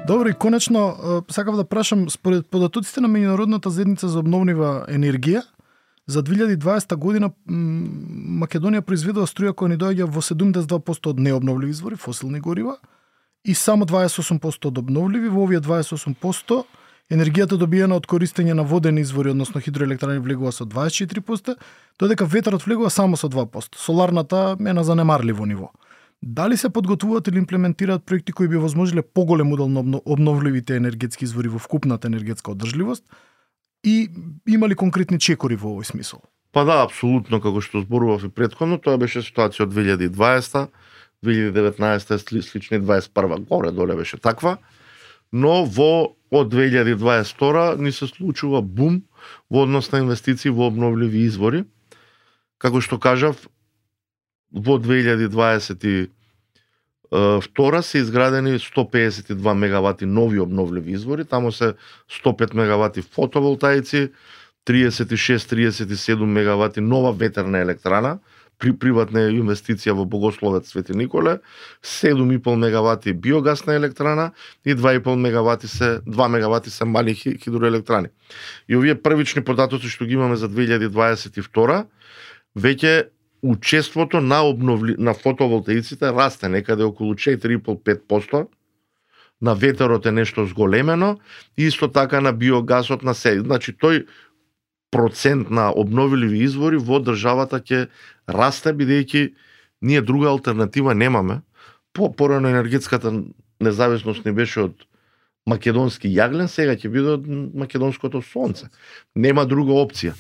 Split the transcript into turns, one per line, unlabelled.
Добро, и конечно, сакав да прашам, според податоците на Меѓународната заедница за обновлива енергија, за 2020 година Македонија произведува струја која ни доаѓа во 72% од необновливи извори, фосилни горива, и само 28% од обновливи. Во овие 28% енергијата добиена од користење на водени извори, односно хидроелектрани, влегува со 24%, додека ветерот влегува само со 2%. Соларната е на занемарливо ниво. Дали се подготвуваат или имплементираат проекти кои би возможиле поголем удел на обновливите енергетски извори во вкупната енергетска одржливост и има ли конкретни чекори во овој смисол?
Па да, апсолутно, како што зборував и претходно, тоа беше ситуација од 2020, 2019 слични 21 горе доле беше таква, но од 2022 ни се случува бум во однос на инвестиции во обновливи извори. Како што кажав, во 2022 се изградени 152 мегавати нови обновливи извори, таму се 105 мегавати фотоволтаици, 36-37 мегавати нова ветерна електрана, приватна инвестиција во Богословец Свети Николе, 7,5 мегавати биогасна електрана и 2 мегавати се мали хидроелектрани. И овие првични податоци што ги имаме за 2022, веќе учеството на фотоволтаиците расте некаде околу 4,5-5%, на ветерот е нешто зголемено и исто така на биогасот на се. Значи тој процент на обновливи извори во државата ќе расте, бидејќи ние друга алтернатива немаме. Порано енергетската независност не беше од македонски јаглен, сега ќе биде од македонското сонце. Нема друга опција.